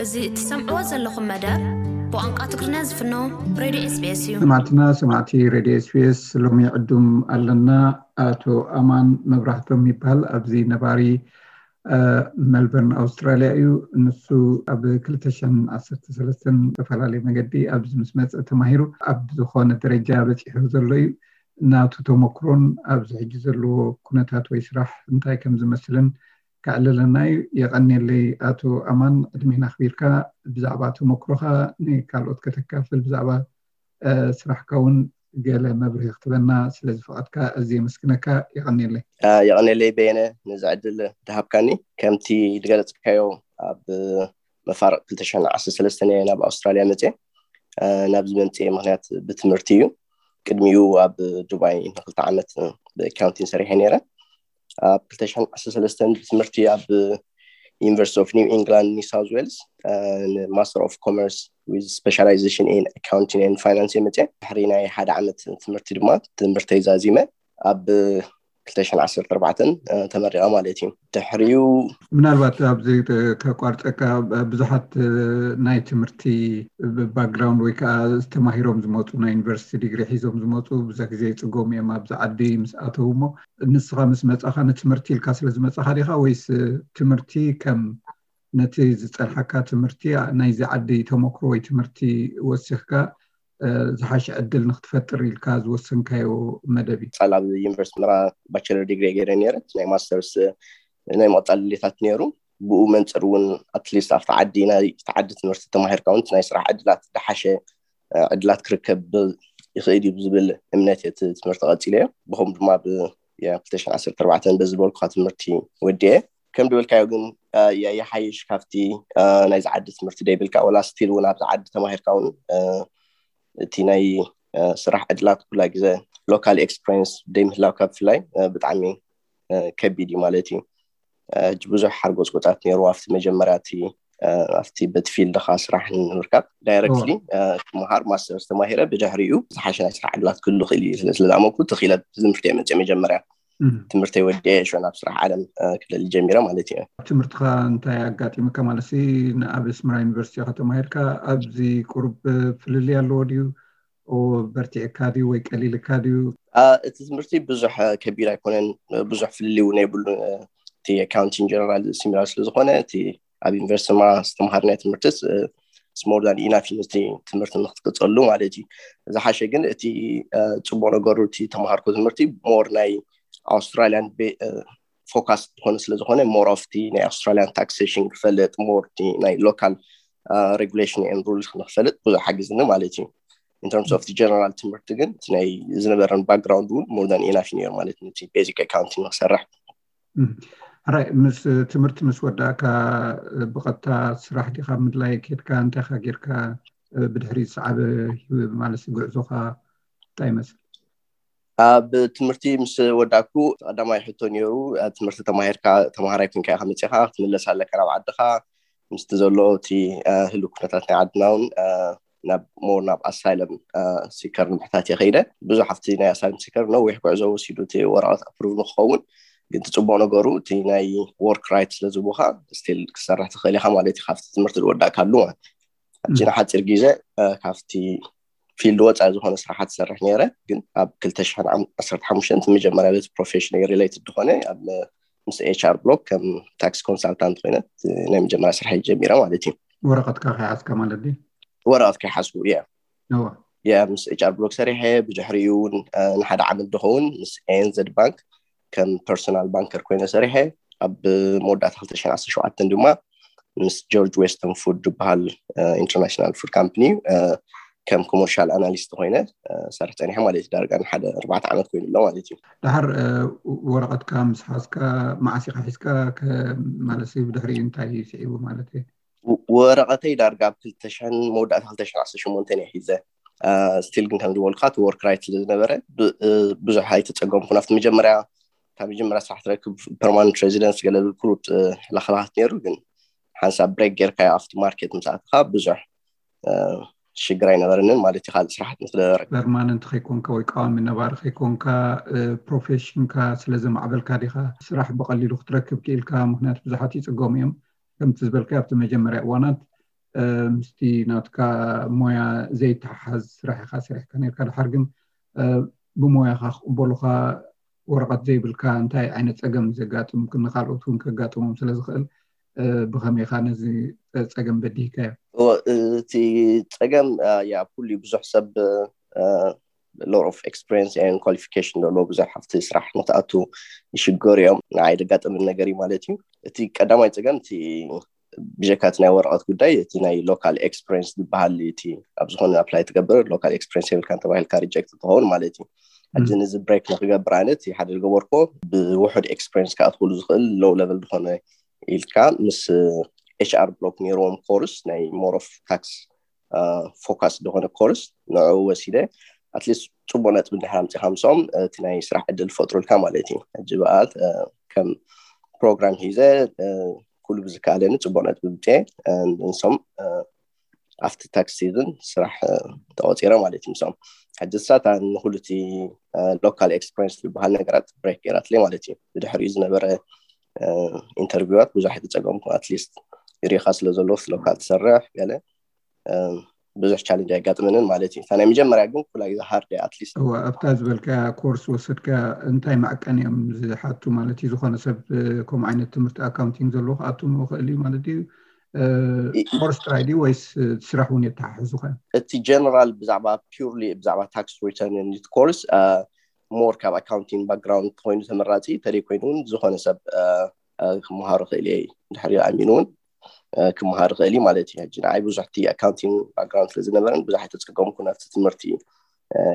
እዚ እትሰምዕዎ ዘለኹም መደብ ብቋንቋ ትግርኛ ዝፍኖ ሬድዮ ኤስቢኤስ እዩ። ሰማዕትና ሰማዕቲ ሬድዮ ኤስቢኤስ፣ ሎሚ ዕዱም ኣለና። ኣቶ ኣማን መብራህቶም ይበሃል። ኣብዚ ነባሪ እ፣ ሜልበርን ኣውስትራልያ እዩ። ንሱ ኣብ ክልተ ሽሕን ዓሰርተ ሰለስተን ዝተፈላለየ መገዲ ኣብዚ ምስ መፀ ተማሂሩ ኣብ ዝኾነ ደረጃ በፂሑ ዘሎ እዩ። ናቱ ተመክሮን ኣብዚ ሕጂ ዘለዎ ኩነታት ወይ ስራሕ እንታይ ከም ዝመስልን ከዕልለና እዩ። የቐንየለይ ኣቶ ኣማን፣ ዕድሜና ኣኽቢርካ ብዛዕባ ተመክሮኻ ንካልኦት ከተካፍል፣ ብዛዕባ እ፣ ስራሕካ እውን ገለ መብርሂ ክትበና ስለ ዝፈቐድካ ኣዝየ የመስግነካ። የቐንየለይ። እ፣ የቐንየለይ በየነ፣ ነዚ ዕድል ዝሃብካኒ። ከምቲ ዝገለጽካዮ፣ ኣብ መፋርቕ ክልተ ሽሕን ዓሰርተ ሰለስተን እየ ናብ ኣውስትራልያ መጽየ። እ፣ ናብዚ መምጽኤ ምኽንያት ብትምህርቲ እዩ። ቅድሚኡ ኣብ ዱባይ ንክልተ ዓመት ብኣካውንቲንግ ሰሪሐ ነይረ። ኣብ ክልተ ሽሕን ዓሰርተ ሰለስተን ብትምህርቲ ኣብ ዩኒቨርሲቲ ኦፍ ኒው ኢንግላንድ ኒው ሳውዝ ዌልስ ማስተር ኦፍ ኮመርስ ዊዝ ስፔሻላይዜሽን ኢን ኣካውንቲንግ ኤንድ ፋይናንስ እየ መፅየ። ድሕሪ ናይ ሓደ ዓመት ትምህርቲ ድማ ትምህርተይ ዛዚመ ኣብ ክልተ ሽሕን ዓሰርተ ኣርባዕተን ተመሪቐ ማለት እዩ። ድሕሪኡ ምናልባት ኣብዚ ከቋርፀካ፣ ብዙሓት ናይ ትምህርቲ ባክግራውንድ ወይ ከዓ ተማሂሮም ዝመፁ፣ ናይ ዩኒቨርሲቲ ዲግሪ ሒዞም ዝመፁ ብዙሕ ግዜ ይፅገሙ እዮም ኣብዚ ዓዲ ምስ ኣተው። እሞ ንስኻ ምስ መፃኻ ንትምህርቲ ኢልካ ስለ ዝመፃኻ ዲኻ፣ ወይስ ትምህርቲ ከም ነቲ ዝፀንሓካ ትምህርቲ ናይዚ ዓዲ ተመክሮ ወይ ትምህርቲ ወሲኽካ ዝሓሸ ዕድል ንክትፈጥር ኢልካ ዝወሰንካዮ መደብ እዩ? ጻል ኣብ ዩኒቨርሲቲ ምራ ባቸለር ዲግሪ ገይረ ነይረ። ናይ ማስተርስ ናይ ምቕጻል ድሌታት ነይሩ። ብኡ መንጽር እውን ኣትሊስት ኣብቲ ዓዲ ናይ እቲ ዓዲ ትምህርቲ ተማሂርካ እውን ናይ ስራሕ ዕድላት ዝሓሸ ዕድላት ክርከብ ይኽእል እዩ ብዝብል እምነት እቲ ትምህርቲ ቀፂለዮ። ብኸም ድማ ብ ክልተ ሽሕን ዓሰርተ ኣርባዕተን በዚ ዝበልኩኻ ትምህርቲ ወዲኤ። ከም ዝበልካዮ ግን ይሓይሽ ካብቲ ናይዚ ዓዲ ትምህርቲ ደይብልካ፣ ወላ ስቲል እውን ኣብዚ ዓዲ ተማሂርካ እውን እቲ ናይ ስራሕ ዕድላት ኩላ ግዜ ሎካል ኤክስፒሪንስ ደይምህላውካ ብፍላይ ብጣዕሚ ከቢድ እዩ ማለት እዩ። ሕጂ ብዙሕ ሓርጎፅጎፃት ነይሩ ኣብቲ መጀመርያ እቲ ኣብቲ በቲ ፊልድኻ ስራሕ ንምርካብ ዳይረክትሊ ክመሃር ማስተርስ ተማሂረ ብድሕሪኡ ዝሓሸ ናይ ስራሕ ዕድላት ክህሉ ክእል እዩ ስለ ዝኣመንኩ ትኽኢለ ትምህርቲ መፅእ መጀመርያ ትምህርተይ ወዲኤ ሾ ናብ ስራሕ ዓለም ክለሊ ጀሚረ ማለት እዩ። ትምህርትኻ እንታይ ኣጋጢሙካ ማለት ሲ ንኣብ ኣስመራ ዩኒቨርሲቲ ኢኻ ተማሂርካ ኣብዚ ቁሩብ ፍልልይ ኣለዎ ድዩ? በርቲዕካ ድዩ ወይ ቀሊልካ ድዩ? እቲ ትምህርቲ ብዙሕ ከቢድ ኣይኮነን፣ ብዙሕ ፍልልይ እውን የብሉን። እቲ ኣካውንቲንግ ጀነራል ሲሚላር ስለዝኾነ እቲ ኣብ ዩኒቨርሲቲ ማ ዝተምሃርናዮ ትምህርቲ ስሞር ዳን ኢናፍ እዩ ነቲ ትምህርቲ ንክትቅፀሉ ማለት እዩ። ዝሓሸ ግን እቲ ፅቡቅ ነገሩ እቲ ተምሃርኮ ትምህርቲ ሞር ናይ ኣውስትራሊያን ፎካስ ዝኾነ ስለዝኾነ ሞር ኦፍ ቲ ናይ ኣውስትራሊያን ታክሴሽን ክፈልጥ ሞር ቲ ናይ ሎካል ሬጉሌሽን ኤንድ ሩልስ ንክፈልጥ ብዙሕ ሓጊዝኒ ማለት እዩ። ኢንተርምስ ኦፍ ጀነራል ትምህርቲ ግን እቲ ናይ ዝነበረን ባክግራውንድ እውን ሞር ዳን ኢናፍ ነይሩ ማለት ነቲ ቤዚክ ኣካውንቲንግ ንክሰርሕ። ሕራይ ምስ ትምህርቲ ምስ ወዳእካ ብቐጥታ ስራሕ ዲኻ ምድላይ ኬድካ እንታይካ ጌርካ ብድሕሪ ዝሰዓበ ማለት ጉዕዞኻ እንታይ ይመስል? ኣብ ትምህርቲ ምስ ወዳእኩ ቀዳማይ ሕቶ ነይሩ ትምህርቲ ተማሂርካ ተማሃራይ ኮንካ ኢኻ መፂኻ ክትምለስ ኣለካ ናብ ዓድኻ ምስቲ ዘሎ እቲ ህሉ ኩነታት ናይ ዓድና እውን ናብ ሞር ናብ ኣሳይለም ሲከር ንምሕታት እየ ከይደ። ብዙሕ ኣብቲ ናይ ኣሳይለም ሲከር ነዊሕ ጉዕዞ ወሲዱ እቲ ወረቐት ኣፕሩቭ ንክኸውን ግን ትፅቡቅ ነገሩ እቲ ናይ ወርክ ራይት ስለዝቡካ ስቲል ክሰርሕ ትኽእል ኢኻ ማለት እዩ ካብቲ ትምህርቲ ዝወዳእካሉ ማለት ሕጂ ንሓፂር ግዜ ካብቲ ፊልድ ወፃኢ ዝኾነ ስራሓት ትሰርሕ ነይረ ግን ኣብ ክልተ ሽሕን ዓሰርተ ሓሙሽተን መጀመርያ ቤት ፕሮፌሽን ሪሌትድ ዝኾነ ኣብ ምስ ኤች ኣር ብሎክ ከም ታክስ ኮንሳልታንት ኮይነ ናይ መጀመርያ ስራሕ ጀሚረ ማለት እዩ። ወረቐትካ ከይሓዝካ ማለት ድዩ? ወረቐት ከይሓዝኩ እየ። እየ ምስ ኤች ኣር ብሎክ ሰሪሐ ብድሕሪኡ እውን ንሓደ ዓመት ዝኸውን ምስ ኤንዘድ ባንክ ከም ፐርሶናል ባንከር ኮይነ ሰሪሐ ኣብ መወዳእታ ክልተ ሽሕን ዓሰርተ ሸውዓተን ድማ ምስ ጆርጅ ዌስተን ፉድ ዝበሃል ኢንተርናሽናል ፉድ ካምፕኒ ከም ኮመርሻል ኣናሊስት ኮይነ ሰርሕ ፀኒሐ ማለት እዩ። ዳርጋ ንሓደ ኣርባዕተ ዓመት ኮይኑ ኣሎ ማለት እዩ። ድሓር ወረቐትካ ምስ ሓዝካ መዓስ ኢኻ ሒዝካ ማለት ብድሕሪ እንታይ እዩ ስዒቡ ማለት እዩ? ወረቐተይ ዳርጋ ኣብ ክልተ ሽሕን መወዳእታ ክልተ ሽሕን ዓሰርተ ሸሞንተን እየ ሒዘ። ስቲል ግን ከም ዝበልካ እቲ ወርክ ራይት ስለ ዝነበረ ብዙሕ ኣይተፀገምኩን ኣብቲ መጀመርያ ካብ መጀመርያ ስራሕ ትረክብ ፐርማነንት ሬዚደንስ ገለ ዝብል ኩሉ ለኸባኻት ነይሩ ግን ሓንሳብ ብሬክ ጌርካዮ ኣብቲ ማርኬት ምስ ኣተኻ ብዙሕ ሽግር ኣይነበረንን ማለት እዩ። ካልእ ስራሓት ንክደረግ ፐርማነንት ከይኮንካ ወይ ቀዋሚ ነባሪ ከይኮንካ ፕሮፌሽንካ ስለ ዘማዕበልካ ዲኻ ስራሕ ብቐሊሉ ክትረክብ ክኢልካ? ምክንያቱ ብዙሓት ይፅገሙ እዮም ከምቲ ዝበልካ ኣብቲ መጀመርያ እዋናት ምስቲ ናትካ ሞያ ዘይተሓሓዝ ስራሕ ኢኻ ሰሪሕካ ነርካ። ድሓር ግን ብሞያኻ ክቕበሉኻ ወረቐት ዘይብልካ እንታይ ዓይነት ጸገም ዘጋጥም ንካልኦት እውን ከጋጥሞም ስለ ዝኽእል ብኸመይኻ ነዚ ጸገም በዲህካዮ? እቲ ጸገም ያ ኩሉ ብዙሕ ሰብ lot of experience and qualification ዘለዎ ብዙሕ ኣብቲ ስራሕ ንክኣቱ ይሽገሩ እዮም። ንዓይ ዘጋጠመኒ ነገር እዩ ማለት እዩ። እቲ ቀዳማይ ጸገም እቲ ብጀካ እቲ ናይ ወረቐት ጉዳይ እቲ ናይ local experience ዝበሃል እቲ ኣብ ዝኾነ apply ትገብር local experience የብልካን ተባሂልካ reject ትኸውን ማለት እዩ። ሕጂ ነዚ break ንክገብር ኣነ እቲ ሓደ ዝገበርኩዎ ብውሑድ experience ክኣትውሉ ዝኽእል low level ዝኾነ ኢልካ ምስ HR Block ነይርዎም course ናይ more of tax focus ዝኾነ course ንዕኡ ወሲደ at least ጽቡቕ ነጥቢ እንድሕር ኣምጺኻ ምስኦም እቲ ናይ ስራሕ ዕድል ፈጥሩልካ ማለት እዩ። ሕጂ በኣል ከም ፕሮግራም ሒዘ ኩሉ ብዝከኣለኒ ጽቡቕ ነጥቢ ብጤ ንሶም ኣብቲ tax season ስራሕ ተቆፂረ ማለት እዩ። ምስኦም ሕጂ ሳታ ንኩሉ እቲ local experience ዝበሃል ነገራት break ገይራትለይ ማለት እዩ። ብድሕሪኡ ዝነበረ interview ት ብዙሕ ኣይተፀገምኩ። At least ሪኢኻ ስለ ዘሎ local ትሰርሕ ገለ ብዙሕ challenge ኣየጋጥመንን ማለት እዩ። እታ ናይ መጀመርያ ግን ኩላ ግዜ hard እያ። At least እዋ ኣብታ ዝበልካያ course ወሰድካ እንታይ ማዕቀን እዮም ዝሓቱ ማለት እዩ? ዝኾነ ሰብ ከምኡ ዓይነት ትምህርቲ accounting ዘለዎ ክኣቱ ምኽእል እዩ ማለት እዩ? Course ጥራይ ድዩ ወይስ ስራሕ እውን የተሓሕዙ ኸ? እቲ general ብዛዕባ purely ብዛዕባ tax return course more ካብ accounting background ኮይኑ ተመራፂ ተደይ ኮይኑ እውን ዝኾነ ሰብ ክመሃሮ ክእል እየ ድሕሪ ኣሚኑ እውን ክመሃር ክእል እዩ ማለት እዩ። ሕጂ ንዓይ ብዙሕ እቲ accounting background ስለ ዝነበረን ብዙሕ ኣይተፀገምኩ ናብቲ ትምህርቲ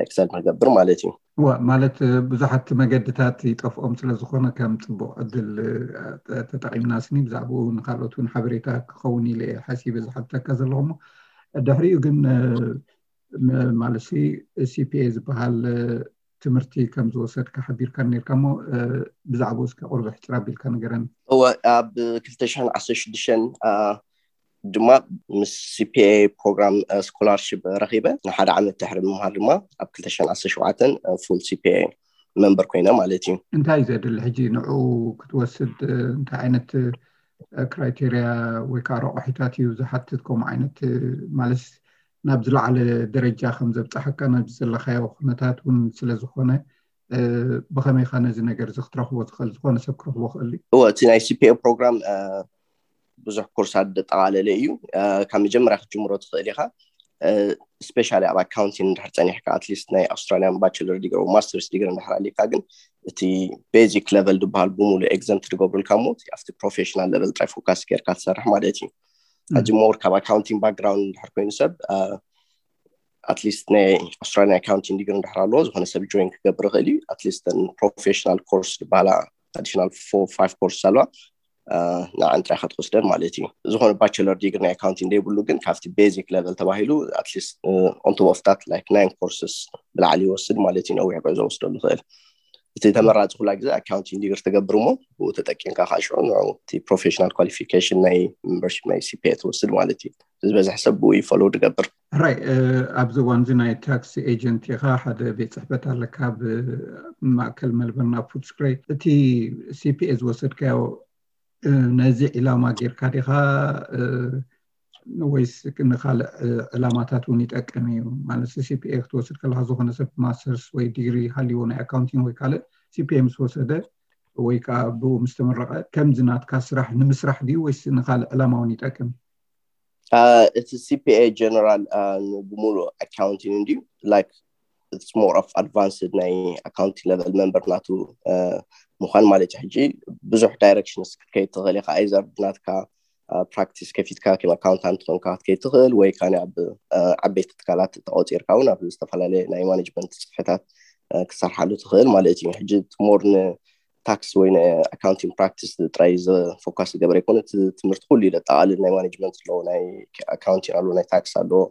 excel ንገብር ማለት እዩ። እዋ ማለት ብዙሓት መገድታት ይጠፍኦም ስለ ዝኾነ ከም ፅቡቕ ዕድል ተጠቒምና ስኒ ብዛዕባኡ ንካልኦት እውን ሓበሬታ ክኸውን ኢለ እየ ሓሲበ ዝሓተካ ዘለኹ። እሞ ድሕሪኡ ግን ማለት CPA ዝበሃል ትምህርቲ ከም ዝወሰድካ ሓቢርካ ነርካ እሞ ብዛዕባኡ እስከ ቁርብሕ ሕፅር ኣቢልካ ንገረኒ። እወ ኣብ ክልተ ሽሕን ዓሰርተ ሽዱሽተን ድማ ምስ CPA program scholarship ረኺበ ንሓደ ዓመት ድሕሪ ምምሃር ድማ ኣብ ክልተ ሽሕን ዓሰርተ ሸውዓተን full CPA member ኮይነ ማለት እዩ። እንታይ እዩ ዘድሊ ሕጂ ንዕኡ ክትወስድ እንታይ ዓይነት criteria ወይ ከዓ ረቑሒታት እዩ ዝሓትት? ከምኡ ዓይነት ማለት ናብ ዝለዓለ ደረጃ ከም ዘብፅሓካ ናብ ዘለካዮ ኩነታት እውን ስለ ዝኾነ ብኸመይ ኸ ነዚ ነገር እዚ ክትረኽቦ ትኽእል? ዝኾነ ሰብ ክረኽቦ ክእል እዩ? እወ እቲ ናይ CPA program ብዙሕ ኮርሳት ዘጠቓለለ እዩ። ካብ መጀመርያ ክትጅምሮ ትኽእል ኢኻ። Especially ኣብ accounting እንድሕር ፀኒሕካ at least ናይ Australian bachelor degree masters degree እንድሕር ኣሊካ ግን እቲ basic level ዝበሃል ብሙሉ exempt ዝገብሩልካ እሞ ኣብቲ professional level ጥራይ focus ጌርካ ትሰርሕ ማለት እዩ። ሕጂ more ካብ accounting background እንድሕር ኮይኑ ሰብ at least ናይ Australian accounting degree እንድሕር ኣለዎ ዝኾነ ሰብ join ክገብር ይኽእል እዩ። At least professional course ዝበሃላ additional four five courses ኣለዋ። ንዓን ጥራይ ክትወስደን ማለት እዩ። ዝኾነ bachelor degree ናይ accounting ዘይብሉ ግን ካብቲ basic level ተባሂሉ at least on top of that like nine courses ብላዕሊ ይወስድ ማለት እዩ። ነዊሕ ጉዕዞ ወስደሉ ይኽእል። እቲ ተመራፂ ኩላ ግዜ accounting degree ትገብር እሞ ብኡ ተጠቂምካ ከዓ ሽዑ ንዕኡ እቲ professional qualification ናይ membership ናይ CPA ትወስድ ማለት እዩ። ዝበዝሕ ሰብ ብኡ እዩ follow ዝገብር። ሕራይ ኣብዚ እዋን እዚ ናይ tax agent ኢኻ፣ ሓደ ቤት ፅሕፈት ኣለካ ኣብ ማእከል Melbourne ኣብ Footscray። እቲ CPA ዝወሰድካዮ ነዚ ዕላማ ጌርካ ዲኻ ወይስ ንካልእ ዕላማታት እውን ይጠቅም እዩ? ማለት CPA ክትወስድ ከለካ ዝኾነ ሰብ masters ወይ degree ሃልይዎ ናይ accounting ወይ ካልእ CPA ምስ ወሰደ ወይ ከዓ ብኡ ምስ ተመረቐ ከምዚ ናትካ ስራሕ ንምስራሕ ድዩ ወይስ ንካልእ ዕላማ እውን ይጠቅም? እቲ CPA general ብሙሉእ accounting እንድዩ like it's more of advanced ናይ accounting level member ናቱ ምዃን ማለት እዩ። ሕጂ ብዙሕ directions ክትከይድ ትኽእል ኢኻ። Either ብናትካ practice ከፊትካ ከም accountant ኮንካ ክትከይድ ትኽእል ወይ ከዓ ኣብ ዓበይቲ ትካላት ተቆፂርካ እውን ኣብ ዝተፈላለየ ናይ management ፅሕፈታት ክትሰርሓሉ ትኽእል ማለት እዩ። ሕጂ more ን tax ወይ ን accounting practice ጥራይ focus ዝገበረ ኣይኮነ። እቲ ትምህርቲ ኩሉ እዩ ዘጠቓልል። ናይ management ኣለዎ፣ ናይ accounting ኣለዎ፣ ናይ tax ኣለዎ።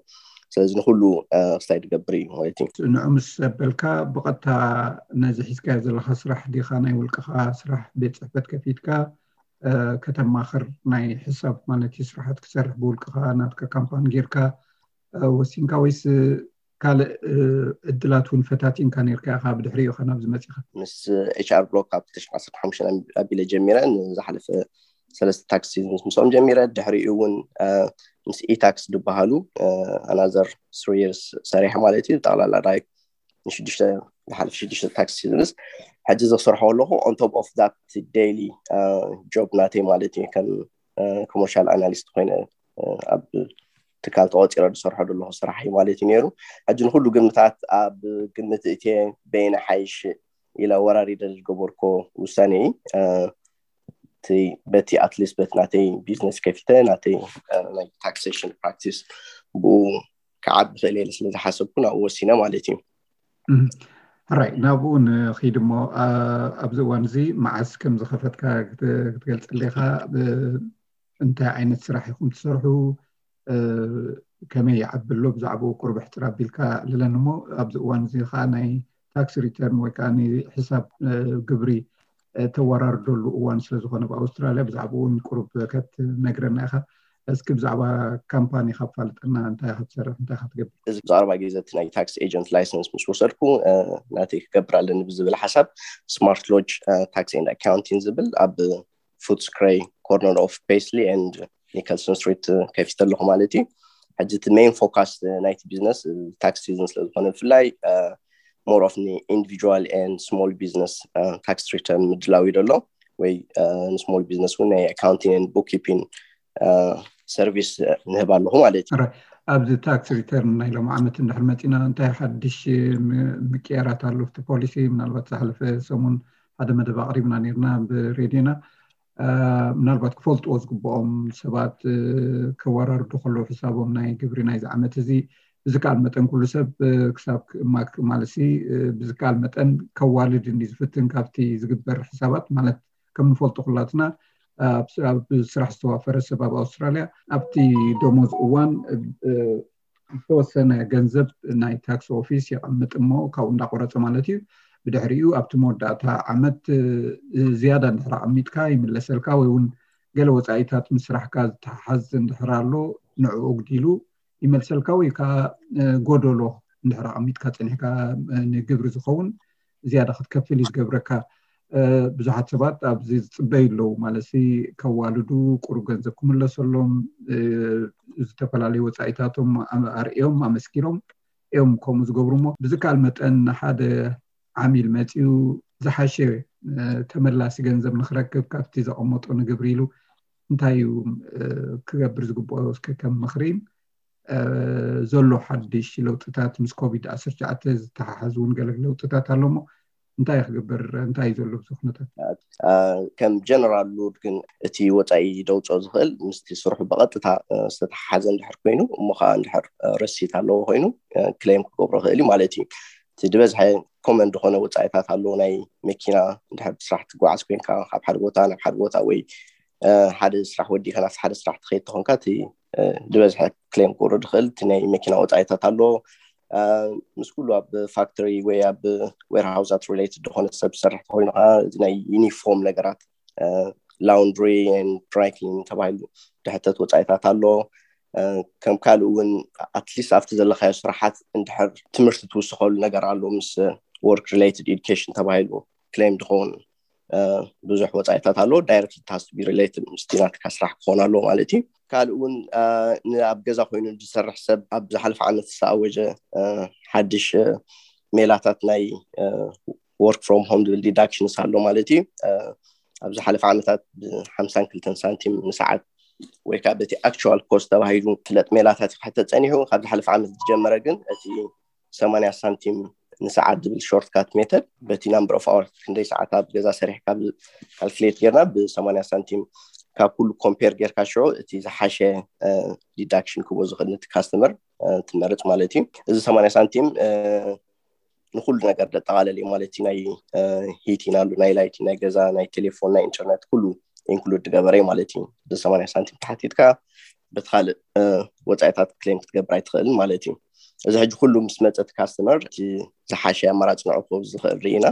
ስለዚ ንኩሉ ክስታይ ዝገብር እዩ ማለት እዩ። ንዑ ምስ ዘበልካ ብቐጥታ ነዚ ሒዝካዮ ዘለካ ስራሕ ዲኻ ናይ ውልቅኻ ስራሕ ቤት ፅሕፈት ከፊትካ ከተማኽር ናይ ሕሳብ ማለት እዩ ስራሓት ክሰርሕ ብውልቅኻ ናትካ ካምፓኒ ጌርካ ወሲንካ ወይስ ካልእ ዕድላት እውን ፈታቲንካ ነርካ ኢኻ ብድሕሪኡ ኢኻ ናብዚ መፂኻ? ምስ HR Block ካብ ክልተ ሽሕን ዓሰርተ ሓሙሽተን ኣቢለ ጀሚረ ንዝሓለፈ ሰለስተ tax seasons ምስኦም ጀሚረ። ድሕሪኡ እውን ምስ ኢታክስ ዝበሃሉ ኣናዘር ስሪ ይርስ ሰሪሐ ማለት እዩ። ጠቕላላ ዳይ ንሽዱሽተ ዝሓለፈ ሽዱሽተ ታክስ ሲዝንስ ሕጂ ዘሰርሖ ኣለኹ። On top of that daily job ናተይ ማለት እዩ፣ ከም ኮመርሻል ኣናሊስት ኮይነ ኣብ ትካል ተቆፂረ ዝሰርሖ ዘለኹ ስራሕ እዩ ማለት እዩ ነይሩ። ሕጂ ንኩሉ ግምታት ኣብ ግምት እትየ በይነ ሓይሽ ኢለ ወራሪደ ዝገበርኮ ውሳኔ እዩ። በቲ ኣትሊስት በቲ ናተይ ቢዝነስ ከፊተ ናተይ ናይ ታክሴሽን ፕራክቲስ ብኡ ክዓቢ ክእል እየ ስለ ዝሓሰብኩ ናብኡ ወሲነ ማለት እዩ። ራይ ናብኡ ንኺድ እሞ ኣብዚ እዋን እዚ መዓስ ከም ዝኸፈትካ ክትገልፀለይ ኢኻ? እንታይ ዓይነት ስራሕ ኢኹም ትሰርሑ? ከመይ ይዓቢ ኣሎ? ብዛዕባኡ ቁሩብ ሕፅር ኣቢልካ ኣዕልለኒ እሞ ኣብዚ እዋን እዚ ከዓ ናይ ታክስ ሪተርን ወይ ከዓ ናይ ሕሳብ ግብሪ ተወራርደሉ እዋን ስለዝኾነ ብኣውስትራልያ ብዛዕባኡ እውን ቁሩብ ከትነግረና ኢኻ። እስኪ ብዛዕባ ካምፓኒ ካብ ፋልጠና እንታይ ክትሰርሕ እንታይ ክትገብር? እዚ ብዛዕባ ግዜ ናይ ታክስ ኤጀንት ላይሰንስ ምስ ወሰድኩ ናተይ ክገብር ኣለኒ ብዝብል ሓሳብ ስማርት ሎጅ ታክስ ኤንድ ኣካውንቲንግ ዝብል ኣብ ፉትስክረይ ኮርነር ኦፍ ፔስሊ ኤንድ ኒከልሰን ስትሪት ከፊተ ኣለኹ ማለት እዩ። ሕጂ እቲ ሜን ፎካስ ናይቲ ቢዝነስ ታክስ ሲዝን ስለዝኾነ ብፍላይ ሞር ኦፍ ን ኢንዲቪጁዋል ኤንድ ስሞል ቢዝነስ ታክስ ሪተርን ምድላው እዩ ዘሎ ወይ ንስሞል ቢዝነስ እውን ናይ ኣካውንቲንግ ኤንድ ቡክኪፒንግ ሰርቪስ ንህብ ኣለኹ ማለት እዩ። ኣብዚ ታክስ ሪተርን ናይ ሎም ዓመት እንድሕር መፂና እንታይ ሓድሽ ምቅያራት ኣሎ? እቲ ፖሊሲ ምናልባት ዝሓለፈ ሰሙን ሓደ መደብ ኣቕሪብና ነርና ብሬድዮና። ምናልባት ክፈልጥዎ ዝግብኦም ሰባት ከወራርዱ ከለዉ ሕሳቦም ናይ ግብሪ ናይዚ ዓመት እዚ ብዝከኣል መጠን ኩሉ ሰብ ክሳብ ማክ ማለት ብዝከኣል መጠን ከዋልድ እንዲ ዝፍትን ካብቲ ዝግበር ሕሳባት ማለት ከም ንፈልጦ ኩላትና ኣብ ስራሕ ዝተዋፈረ ሰብ ኣብ ኣውስትራልያ ኣብቲ ደሞዝ እዋን ዝተወሰነ ገንዘብ ናይ ታክስ ኦፊስ የቐምጥ እሞ ካብኡ እንዳቆረፀ ማለት እዩ። ብድሕሪኡ ኣብቲ መወዳእታ ዓመት ዝያዳ እንድሕር ኣቐሚጥካ ይምለሰልካ ወይ እውን ገለ ወፃኢታት ምስ ስራሕካ ዝተሓሓዝ እንድሕር ኣሎ ንዕኡ ኣጉዲሉ ይመልሰልካ ወይ ከዓ ጎደሎ እንድሕር ኣቐሚጥካ ፀኒሕካ ንግብሪ ዝኸውን ዝያዳ ክትከፍል እዩ ዝገብረካ። ብዙሓት ሰባት ኣብዚ ዝፅበዩ ኣለዉ ማለት ከዋልዱ ቁሩብ ገንዘብ ክምለሰሎም ዝተፈላለዩ ወፃኢታቶም ኣርእዮም ኣመስኪሮም እዮም ከምኡ ዝገብሩ እሞ ብዝከኣል መጠን ንሓደ ዓሚል መፂኡ ዝሓሸ ተመላሲ ገንዘብ ንክረክብ ካብቲ ዘቐመጦ ንግብሪ ኢሉ እንታይ እዩ ክገብር ዝግብኦ እስከ ከም ምኽሪን ዘሎ ሓድሽ ለውጥታት ምስ ኮቪድ ዓሰርተ ትሽዓተ ዝተሓሓዝ እውን ገለ ለውጥታት ኣሎ እሞ እንታይ ክግበር እንታይ ዘሎ ብዙ ኩነታት ከም ጀነራል ሉድ ግን እቲ ወፃኢ ደውፅኦ ዝኽእል ምስቲ ስርሑ ብቐጥታ ዝተሓሓዘ እንድሕር ኮይኑ እሞ ከዓ እንድሕር ረሲት ኣለዎ ኮይኑ ክሌም ክገብሮ ክእል እዩ ማለት እዩ። እቲ ዝበዝሐ ኮመን ዝኾነ ወፃኢታት ኣለዎ ናይ መኪና እንድሕር ብስራሕ ትጓዓዝ ኮይንካ ካብ ሓደ ቦታ ናብ ሓደ ቦታ ወይ ሓደ ስራሕ ወዲእካ ናብ ሓደ ስራሕ ትኸይድ ተኾንካ እቲ ዝበዝሐ ክሌም ክወርድ ይኽእል እቲ ናይ መኪና ወፃኢታት ኣሎ። ምስ ኩሉ ኣብ ፋክተሪ ወይ ኣብ ዌርሃውሳት ሪሌትድ ዝኾነ ሰብ ዝሰርሕ ተኮይኑ ከዓ እዚ ናይ ዩኒፎርም ነገራት ላውንድሪ ድራይክሊን ተባሂሉ ድሕተት ወፃኢታት ኣሎ። ከም ካልእ እውን ኣትሊስት ኣብቲ ዘለካዮ ስራሓት እንድሕር ትምህርቲ ትውስኸሉ ነገር ኣሎ ምስ ወርክ ሪሌትድ ኤዱኬሽን ተባሂሉ ክሌም ዝኸውን ብዙሕ ወፃኢታት ኣሎ። ዳይረክት ታስ ቢ ሪሌትድ ምስቲ ናትካ ስራሕ ክኾን ኣለዎ ማለት እዩ። ካልእ እውን ኣብ ገዛ ኮይኑ ዝሰርሕ ሰብ ኣብ ዝሓለፈ ዓመት ዝተኣወጀ ሓድሽ ሜላታት ናይ ወርክ ፍሮም ሆም ዝብል ዲዳክሽንስ ኣሎ ማለት እዩ። ኣብ ዝሓለፈ ዓመታት ብሓምሳን ክልተን ሳንቲም ንሰዓት ወይ ከዓ በቲ ኣክቹዋል ኮስት ተባሂሉ ፍለጥ ሜላታት ክሕተት ፀኒሑ ካብ ዝሓለፈ ዓመት ዝጀመረ ግን እቲ ሰማንያ ሳንቲም ንሰዓት ዝብል ሾርትካት ሜተድ በቲ ናምበር ኦፍ ኣወርስ ክንደይ ሰዓት ኣብ ገዛ ሰሪሕካ ካልኩሌት ጌርና ብሰማንያ ሳንቲም ካብ ኩሉ ኮምፔር ጌርካ ሽዑ እቲ ዝሓሸ ዲዳክሽን ክቦ ዝኽእል ነቲ ካስተመር ትመርፅ ማለት እዩ። እዚ ሰማንያ ሳንቲም ንኩሉ ነገር ዘጠቓለል እዩ ማለት እዩ። ናይ ሂቲን ኣሉ ናይ ላይቲ ናይ ገዛ ናይ ቴሌፎን ናይ ኢንተርነት ኩሉ ኢንክሉድ ዝገበረ ማለት እዩ። ብሰማንያ ሳንቲም ተሓቲትካ በቲ ካልእ ወፃኢታት ክሌም ክትገብር ኣይትኽእልን ማለት እዩ። እዚ ሕጂ ኩሉ ምስ መፀ እቲ ካስተመር እቲ ዝሓሸ ኣማራፂ ንዕቁብ ዝኽእል ርኢና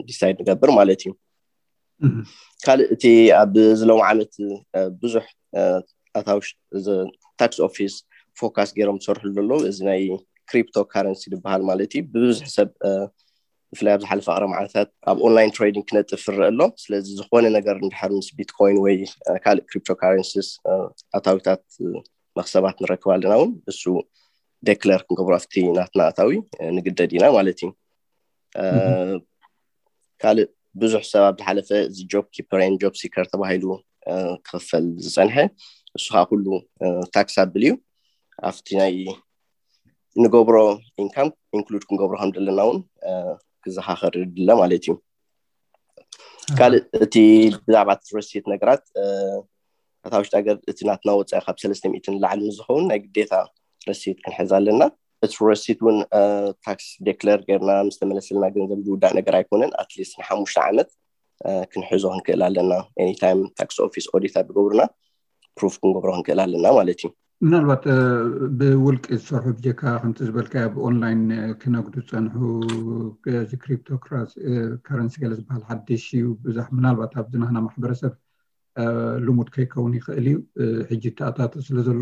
ዲሳይድ ንገብር ማለት እዩ። ካልእ እቲ ኣብዚ ሎም ዓመት ብዙሕ ኣታዊ ታክስ ኦፊስ ፎካስ ገይሮም ዝሰርሕሉ ዘለዉ እዚ ናይ ክሪፕቶ ካረንሲ ዝበሃል ማለት እዩ። ብብዙሕ ሰብ ብፍላይ ኣብ ዝሓለፈ ኣረ መዓልታት ኣብ ኦንላይን ትሬዲንግ ክነጥፍ ይረአ ኣሎ። ስለዚ ዝኾነ ነገር እንድሕር ምስ ቢትኮይን ወይ ካልእ ክሪፕቶ ካረንሲስ ኣታዊታት መክሰባት ንረክብ ኣለና እውን እሱ ዴክለር ክንገብሮ ኣብቲ ናትና ኣታዊ ንግደድ ኢና ማለት እዩ። ካልእ ብዙሕ ሰብ ኣብ ዝሓለፈ እዚ ጆብ ኪፐር ን ጆብ ሲከር ተባሂሉ ክኽፈል ዝፀንሐ እሱ ከዓ ኩሉ ታክስ ኣብል እዩ። ኣብቲ ናይ ንገብሮ ኢንካም ኢንክሉድ ክንገብሮ ከም ዘለና እውን ክዘኻኸር ድለ ማለት እዩ። ካልእ እቲ ብዛዕባ እቲ ረሲት ነገራት ኣታ ውሽጢ ሃገር እቲ ናትና ወፃኢ ካብ ሰለስተ ሚእትን ላዕሊ ምስ ዝኸውን ናይ ግዴታ ረሲት ክንሕዝ ኣለና። እቲ ረሲት እውን ታክስ ዴክለር ጌርና ምስ ተመለሰልና ገንዘብ ዝውዳእ ነገር ኣይኮነን። ኣትሊስት ንሓሙሽተ ዓመት ክንሕዞ ክንክእል ኣለና። ኤኒታይም ታክስ ኦፊስ ኦዲት ኣብ ዝገብሩና ፕሩፍ ክንገብሮ ክንክእል ኣለና ማለት እዩ። ምናልባት ብውልቂ ዝሰርሑ ብጀካ ከምቲ ዝበልካ ብኦንላይን ክነግዱ ዝፀንሑ እዚ ክሪፕቶ ከረንሲ ገለ ዝበሃል ሓድሽ እዩ። ብዙሕ ምናልባት ኣብዚ ናህና ማሕበረሰብ ልሙድ ከይከውን ይኽእል እዩ። ሕጂ ተኣታቱ ስለ ዘሎ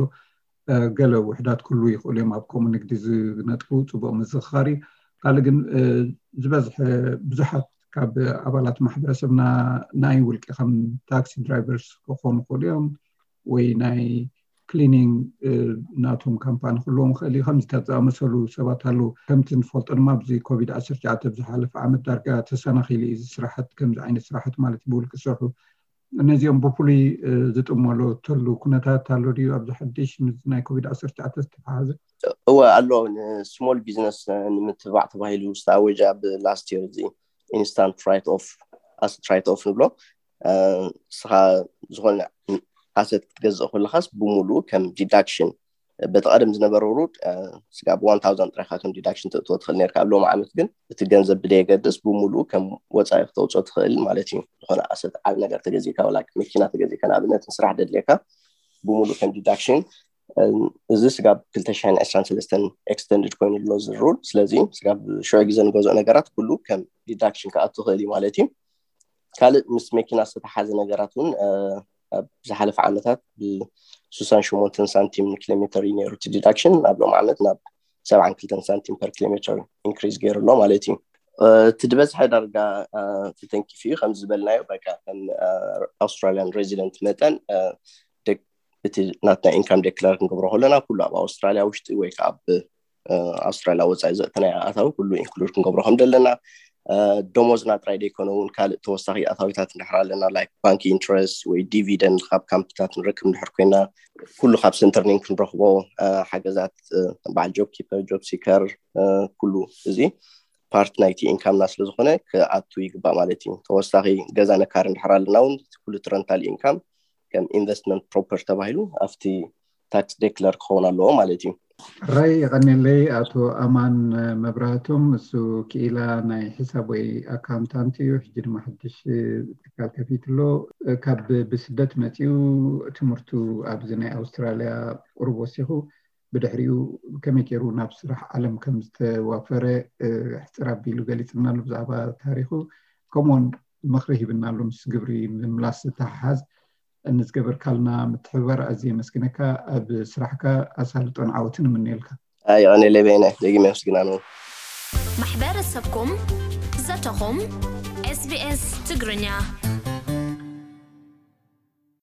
ገለ ውሕዳት ክህልዉ ይኽእሉ እዮም ኣብ ከምኡ ንግዲ ዝነጥፉ። ፅቡቕ ምዝኽኻር እዩ። ካልእ ግን ዝበዝሐ ብዙሓት ካብ ኣባላት ማሕበረሰብና ናይ ውልቂ ከም ታክሲ ድራይቨርስ ክኾኑ ይኽእሉ እዮም ወይ ናይ ክሊኒንግ ናቶም ካምፓኒ ክህልዎም ይኽእል እዩ። ከምዚታት ዝኣመሰሉ ሰባት ኣለዉ። ከምቲ ንፈልጦ ድማ ኣብዚ ኮቪድ ዓሰርተ ትሽዓተ ብዝሓለፈ ዓመት ዳርጋ ተሰናኺሉ እዩ እዚ ስራሕት፣ ከምዚ ዓይነት ስራሕት ማለት እዩ ብውልቂ ዝሰርሑ። ነዚኦም ብፍሉይ ዝጥመለተሉ ኩነታት ኣሎ ድዩ ኣብዚ ሓድሽ ምስ ናይ ኮቪድ ዓሰርተ ትሽዓተ ዝተተሓሓዘ? እወ ኣሎ። ንስሞል ቢዝነስ ንምትባዕ ተባሂሉ ዝተኣወጀ ኣብ ላስት የር እዚ ኢንስታንት ራይት ኦፍ ኣሰት ራይት ኦፍ ንብሎ። እስኻ ዝኾነ ኣሰት ክትገዝእ ከለኻስ ብሙሉኡ ከም ዲዳክሽን በቲ ቀደም ዝነበረ ሩድ ስጋብ ዋን ታውዘንድ ጥራይካ ከም ዲዳክሽን ተእትዎ ትኽእል ነርካ። ኣብ ሎሚ ዓመት ግን እቲ ገንዘብ ብደየገድስ ብሙሉኡ ከም ወፃኢ ክተውፅኦ ትኽእል ማለት እዩ። ዝኾነ ኣሰት ዓብ ነገር ተገዚእካ ወላ መኪና ተገዚእካ ንኣብነት ንስራሕ ደድልየካ ብሙሉእ ከም ዲዳክሽን እዚ ስጋብ ክልተ ሽሕን ዕስራን ሰለስተን ኤክስተንድድ ኮይኑ ኣሎ እዚ ሩል። ስለዚ ስጋብ ሽዑ ግዜ ንገዝኦ ነገራት ኩሉ ከም ዲዳክሽን ክኣቱ ትኽእል እዩ ማለት እዩ። ካልእ ምስ መኪና ዝተተሓዘ ነገራት እውን ኣብ ዝሓለፈ ዓመታት ብስሳን ሸሞንተን ሳንቲም ንኪሎሜተር እዩ ነይሩ እቲ ዲዳክሽን። ኣብ ሎም ዓመት ናብ ሰብዓን ክልተን ሳንቲም ፐር ኪሎሜተር ኢንክሪዝ ገይሩ ኣሎ ማለት እዩ። እቲ ዝበዝሐ ዳርጋ ተተንኪፉ እዩ። ከም ዝበልናዮ በቃ ከም ኣውስትራሊያን ሬዚደንት መጠን እቲ ናትና ኢንካም ዴክለር ክንገብሮ ከለና ኩሉ ኣብ ኣውስትራሊያ ውሽጢ ወይ ከዓ ኣብ ኣውስትራሊያ ወፃኢ ዘእተናዮ ኣታዊ ኩሉ ኢንክሉድ ክንገብሮ ከም ዘለና፣ ደሞዝና ጥራይ ዘይኮነ እውን ካልእ ተወሳኺ ኣታዊታት እንድሕር ኣለና ላይክ ባንክ ኢንትረስት ወይ ዲቪደንድ ካብ ካምፕታት ንረክብ እንድሕር ኮይና ኩሉ ካብ ሰንተርኒንግ ክንረክቦ ሓገዛት በዓል ጆብ ኪፐር ጆብ ሲከር ኩሉ እዚ ፓርት ናይቲ ኢንካምና ስለዝኾነ ክኣቱ ይግባእ ማለት እዩ። ተወሳኺ ገዛ ነካሪ እንድሕር ኣለና እውን ኩሉ ረንታል ኢንካም ከም ኢንቨስትመንት ፕሮፐር ተባሂሉ ኣብቲ ታክስ ዴክለር ክኸውን ኣለዎ ማለት እዩ። ራይ የቐኔለይ ኣቶ ኣማን መብራህቶም፣ እሱ ክኢላ ናይ ሒሳብ ወይ ኣካውንታንት እዩ። ሕጂ ድማ ሓድሽ ትካል ከፊትሎ። ካብ ብስደት መፂኡ ትምህርቱ ኣብዚ ናይ ኣውስትራልያ ቁሩብ ወሲኹ ብድሕሪኡ ከመይ ገይሩ ናብ ስራሕ ዓለም ከም ዝተዋፈረ ሕፅር ኣቢሉ ገሊፅናሉ ብዛዕባ ታሪኹ። ከምኡውን ምኽሪ ሂብናሉ ምስ ግብሪ ምምላስ ዝተሓሓዝ ንዝገበርካልና ምትሕብባር ኣዝየ የመስግነካ። ኣብ ስራሕካ ኣሳልጦን ዓወትን እምነየልካ። ኣይ ቀኔለይ በይነ ደጊመ የመስግናን እውን። ማሕበረሰብኩም ዘተኹም ኤስቢኤስ ትግርኛ።